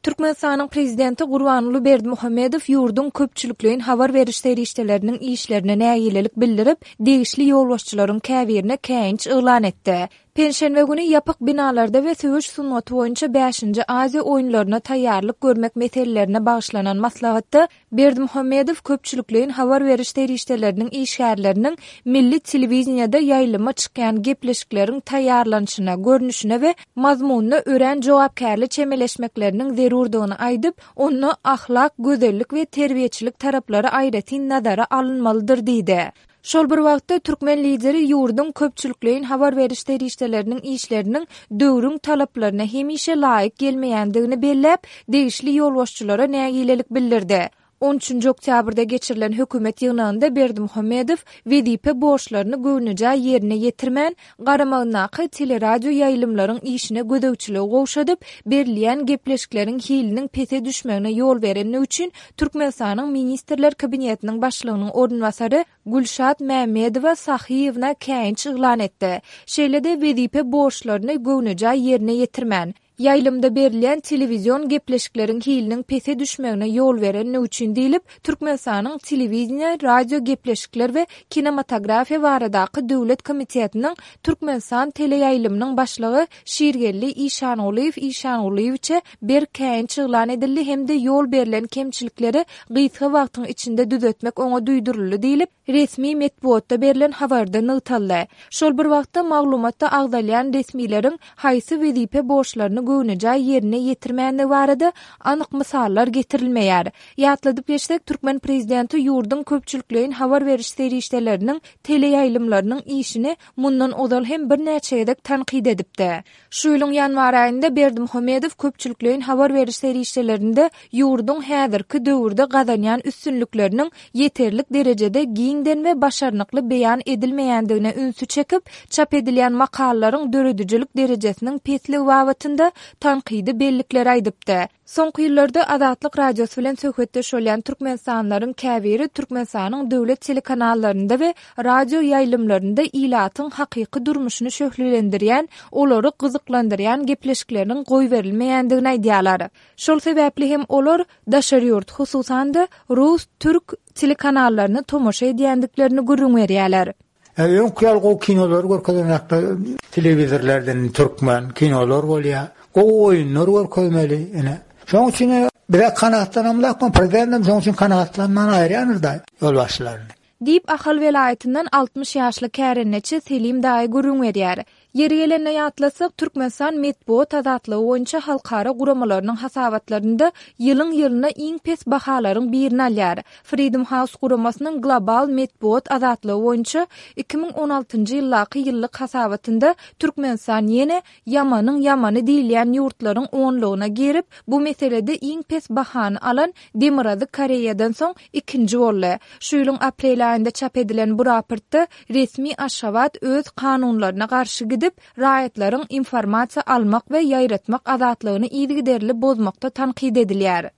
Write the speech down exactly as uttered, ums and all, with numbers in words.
Türkmenistanyň Prezidenti Gurbanguly Berdimuhamedow ýurduň köpçülikleýin habar beriş serişdeleriniň işlerine nägilelik bildirip, degişli ýolbaşçylaryň käbirine käýinç yglan etdi. Penşenbe güni ýapyk binalarda we söweş sungaty boýunça bäşinji Aziýa oýunlaryna taýýarlyk görmek meselelerine bagyşlanan maslahatda Berdimuhamedow köpçülikleýin habar beriş serişdeleriniň işgärleriniň milli telewideniýede ýaýlyma çykýan gepleşikleriň taýýarlanyşyna, görnüşine we mazmunyna örän jogapkärli çemeleşmekleriniň zerurdygyny aýdyp, onda ahlak, gözellik we terbiýeçilik taraplary aýratyn nazara alynmalydyr diýdi. Şol bir wagtda, türkmen lideri ýurduň köpçülikleýin habar beriş serişdeleriniň işleriniň döwrüň talaplaryna hemişe laýyk gelmeýändigini belläp, degişli ýolbaşçylara nägilelik bildirdi. On üçünji oktýabrda geçirilen hökümet ýygnagynda Berdimuhamedow wezipe borçlaryny göwnejaý ýerine ýetirmän, garamagyndaky teleradioýaýlymlaryň işine gözegçiligi gowşadyp, berilýän gepleşikleriň hiliniň pese düşmegine ýol berenligi üçin Türkmenistanyň Ministrler Kabinetiniň Başlygynyň orunbasary Gülşat Mämmedowa Sahyýewna käýinç yglan etdi. Şeýle-de wezipe borçlaryny göwnejaý ýerine ýetirmän, ýaýlymda berilýän telewizion gepleşikleriň hiliniň pese düşmegine ýol berenligi üçin diýlip, Türkmenistanyň Telewideniýe, radiogepleşikler we kinematografiýa baradaky döwlet komitetiniň Türkmenistan teleýaýlymynyň başlygy Şirgeldi Işangulyýew Işangulyýewiçe berk käýinç yglan edildi hem-de ýol berlen kemçilikleri gysga wagtyň içinde düzetmek oňa duýduryldy diýlip, resmi metbugatda berlen habarda nygtaldy. Şol bir wagtda, maglumatda agzalýan resmileriň haýsy wezipe borçlaryny göwnejaý ýerine ýetirmändigi barada anyk mysallar getirilmeýär. Ýatladyp geçsek, türkmen prezidenti ýurduň köpçülikleýin habar beriş serişdeleriniň teleýaýlymlarynyň işini mundan ozal hem birnäçe gezek tankyt edipdi. Şu ýylyň ýanwar aýynda Berdimuhamedow köpçülikleýin habar beriş serişdelerinde ýurduň häzirki döwürde gazanýan üstünlikleriniň ýeterlik derejede giňden we başarnykly beýan edilmeýändigine ünsi çekip, çap edilýän makalalaryň döredijilik derejesiniň pesligi babatynda tankydy bellikleri aýdypdy. Soňky ýyllarda Azatlyk Radiosy bilen söhbetdeş bolýan türkmenistanlylaryň käbiri Türkmenistanyň döwlet telekanallarynda we radio ýaýlymlarynda ilatyň hakyky durmuşyny şöhlelendirýän, olary gyzyklandyrýan gepleşikleriniň goýberilmeýändigini aýdýarlar. Şol sebäpli hem olar daşary ýurt, hususan-da, rus, türk telekanallaryna tomaşa edýändiklerini gürrüň berýärler. Öňki ýaly gowy kinolary görkezenoklar telewizorlardan türkmen kinolar bolýar. Gowy oýunlar görkezmeli ine. Şonuň üçin bize kanagatlanamzok, prezidentem şonuň üçin kanagatlanman aýyrýandyr-da ýolbaşçylaryny. Diýip, Ahal welaýatyndan altmyş ýaşly kärendeçi Selim daýy gürrüň berýär. Ýeri gelende ýatlasak, Türkmenistan metbugat azatlygy boýunça halkara guramalarynyň hasabatlarynda ýylyň-ýylyna iň pes bahalaryň birini alýar. Freedom House guramasynyň global metbugat azatlygy boýunça iki müň on altynjy ýyldaky ýyllyk hasabatynda Türkmenistan ýene ýamanyň ýamany diýilýän ýurtlaryň onlugyna girip, bu meselede iň pes bahany alan Demirgazyk Koreýadan soň ikinji boldy. Şu ýylyň aprel aýynda çap edilen bu raportda resmi Aşgabat öz kanunlaryna garşy gidip, raýatlaryň informasiýa almak we ýaýratmak azatlygyny yzygiderli bozmakda tankyt edilýär.